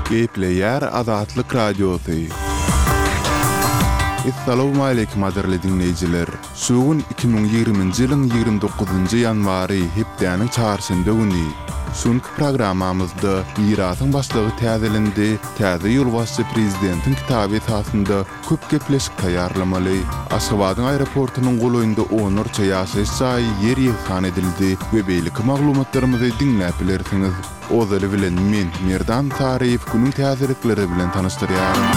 Gepleýär Azatlyk Radiosy. Essalawmaleýkim gadyrly diňleýjiler! Şu gün 2020-nji ýylyň 29-njy ýanwary, hepdäniň çarşenbe güni. Şu günki programmamyzda Mirasyň başlygy täzelendi, täze ýolbaşçy prezidentiň kitaby esasynda köp gepleşik taýýarlamaly. Aşgabadyň aeroportunyň golaýynda onlarça ýaşaýyş jaýy ýer ýegsan edildi we beýleki maglumatlarymyzy diňläp bilersiňiz. Ozaly bilen men, Merdan Saryýew günüň täzelikleri bilen tanyşdyrýaryn.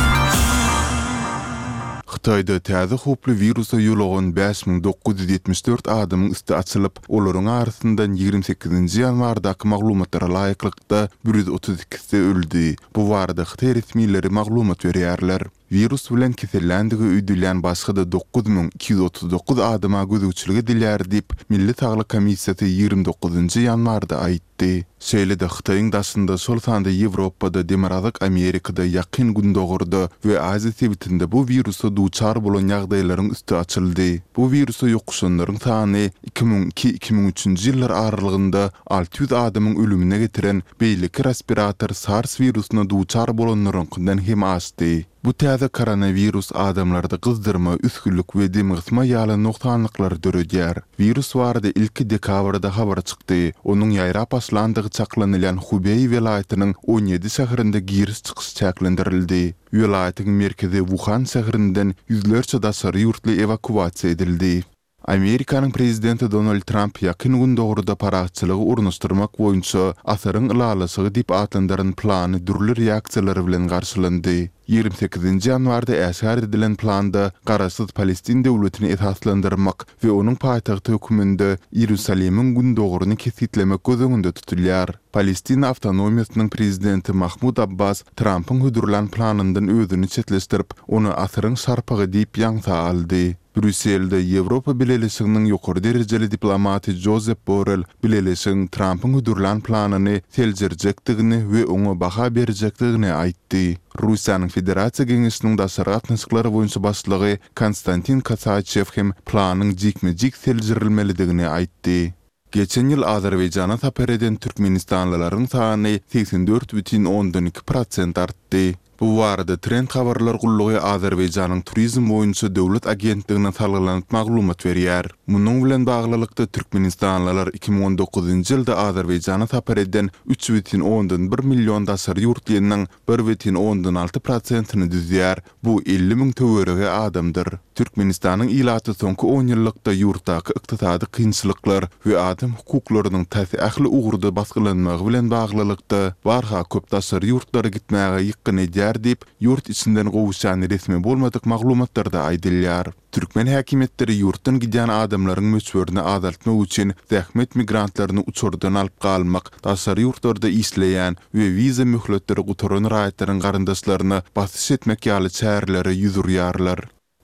Hytaýda täze howply wirusa ýolugan 5974 adamyň üsti açylyp, olaryň arasyndan 28-nji ýanwardaky maglumatlara laýyklykda, 132-si öldi. Bu barada hytaý resmileri maglumat berýärler. Wirus bilen keselländigi öýdülýän başga-da 9239 adama gözegçilik edilýär diýip, Milli saglyk komissiýasy 29-njy ýanwarda aýtdy. Şeýle-de Hytaýyň daşynda, şol sanda Ýewropada, Demirgazyk Amerikada, Ýakyn Gündogarda we Aziýa sebitinde bu wirusa duçar bolan ýagdaýlaryň üsti açyldy. Bu wirusa ýokuşanlaryň sany 2002, 2003-nji ýyllar aralygynda 600 adamyň ölümine getiren beýleki respirator SARS wirusyna duçar bolanlaryňkydan hem aşdy. Bu täze koronawirus adamlarda gyzdyrma, üsgüllik we demgysma ýaly nogsanlyklary döredýär. Wirus barada ilki dekabrda habar çykdy. Onuň ýaýrap başlandygy çaklanylýan Hubeý welaýatynyň 17 şäherinde giriş-çykyş çäklendirildi. Welaýatyň merkezi Wuhan şäherinden ýüzlerçe daşary ýurtly ewakuasiýa edildi. Amerikanyň prezidenti Donald Tramp Ýakyn Gündogarda parahatçylygy ornaşdyrmak boýunça Asyryň ylalaşygy diýip atlandyran plany dürli reaksiýalar bilen garşylandy. 28-nji ýanwarda äşgär edilen planda garaşsyz Palestin döwletini esaslandyrmak we onuň paýtagty hökmünde Iýerusalimiň gündogaryny kesgitlemek göz öňünde tutulýar. Palestina awtonomiýasynyň prezidenti Mahmud Abbas Trampyň hödürlän planyndan özüni çetleşdirip, ony Asyryň şarpygy diýip ýaňsa aldy. Brýusselde Ýewropa Bileleşiginiň ýokary derejeli diplomaty Jozep Borrel Bileleşigiň Trampyň hödürlän planyny seljerjekdigini we oňa baha berjekdigini aýtdy. Russiýanyň Federasiýa Geňeşiniň daşary gatnaşyklar boýunça başlygy Konstantin Kosaçew hem planyň jikme-jik seljerilmelidigini aýtdy. Geçen ýyl Azerbaýjana sapar eden türkmenistanlylaryň sany 84,2 prosent artdy. Bu barada Trend habarlar gullugy Azerbaýjanyň Turizm boýunça döwlet agentligine salgylanyp maglumat berýär. Munuň bilen baglylykda, türkmenistanlylar 2019-njy ýylda Azerbaýjana sapar eden 3,1 million daşary ýurtlynyň 1,6 prosentini düzýär, Bu 50 müň töweregi adamdyr. Türkmenistanyň ilaty soňky onýyllykda ýurtdaky ykdysady kynçylyklar we adam hukuklarynyň tas ähli ugurda basgylanmagy bilen baglylykda, barha köp daşary ýurtlara gitmäge ýykgyn edýär diýip, ýurt içinden gowuşýan resmi bolmadyk maglumatlarda aýdylýar. Türkmen häkimiýetleri ýurtdan gidýän adamlaryň möçberini azaltmak üçin zähmet migrantlaryny uçardan alyp galmak, daşary ýurtlarda işleýän we wiza möhletleri gutaran raýatlaryň garyndaşlaryna basyş etmek ýaly çärelere ýüz urýarlar.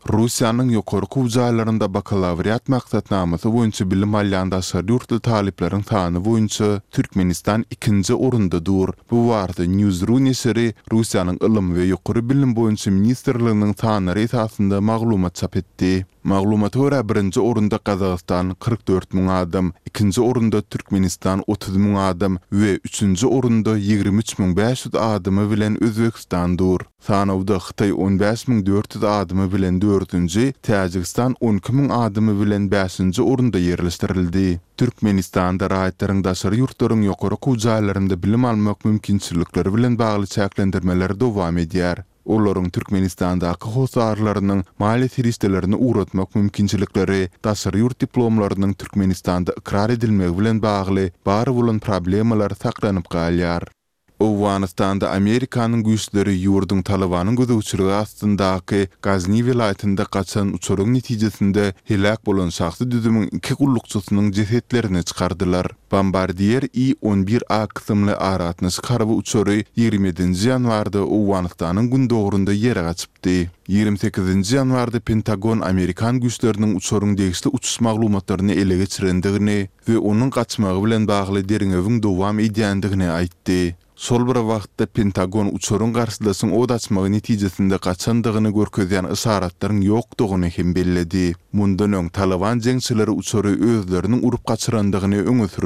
Russiýanyň ýokary okuw jaýlarynda bakalawriat maksatnamasy boýunça bilim alýan daşary ýurtly talyplaryň sany boýunça Türkmenistan ikinji orunda dur. Bu barada News.ru neşiri Russiýanyň Ylym we ýokary bilim boýunça ministrliginiň sanlary esasynda maglumat çap etdi. Maglumata görä, birinji orunda Gazagystan, 44 müň adam, ikinji orunda Türkmenistan, 30 müň adam, we üçünji orunda 23 müň 500 adamy bilen Özbegistan dur. Sanawda Hytaý 15 müň 400 adamy bilen dördünji, Täjigistan 12 müň adamy bilen bäşinji orunda ýerleşdirildi. Türkmenistanda raýatlaryň daşary ýurtlaryň ýokary okuw jaýlarynda bilim almak mümkinçilikleri bilen bagly çäklendirmeler dowam edýär. Olaryň Türkmenistandaky hossarlarynyň maliýe serişdelerini ugratmak mümkinçilikleri, daşary ýurt diplomlarynyň Türkmenistanda ykrar edilmegi bilen bagly bar bolan problemalar saklanyp galýar. Owganystanda Amerikanyň güýçleri ýurduň Talybanyň gözegçiligi astyndaky Gazni welaýatynda gaçan uçaryň netijesinde heläk bolan şahsy düzümiň iki gullukçysynyň jesetlerini çykardylar. Bombardier I on bir A kysymly aragatnaşyk harby uçary 27-nji ýanwarda Owganystanyň gündogarynda ýere gaçypdy. 28-nji ýanwarda Pentagon amerikan güýçleriniň uçaryň degişli uçuş maglumatlaryny ele geçirendigini we onuň gaçmagy bilen bagly derňewiň dowam edýändigini aýtdy. Şol bir wagtda, Pentagon uçaryň garşydaşyň ot açmagy netijesinde gaçandygyny görkezýän yşaratlaryň ýokdugyny hem belledi. Mundan öň, Talyban jeňçileri uçary özleriniň urup gaçyrandygyny öňe sürüpdiler.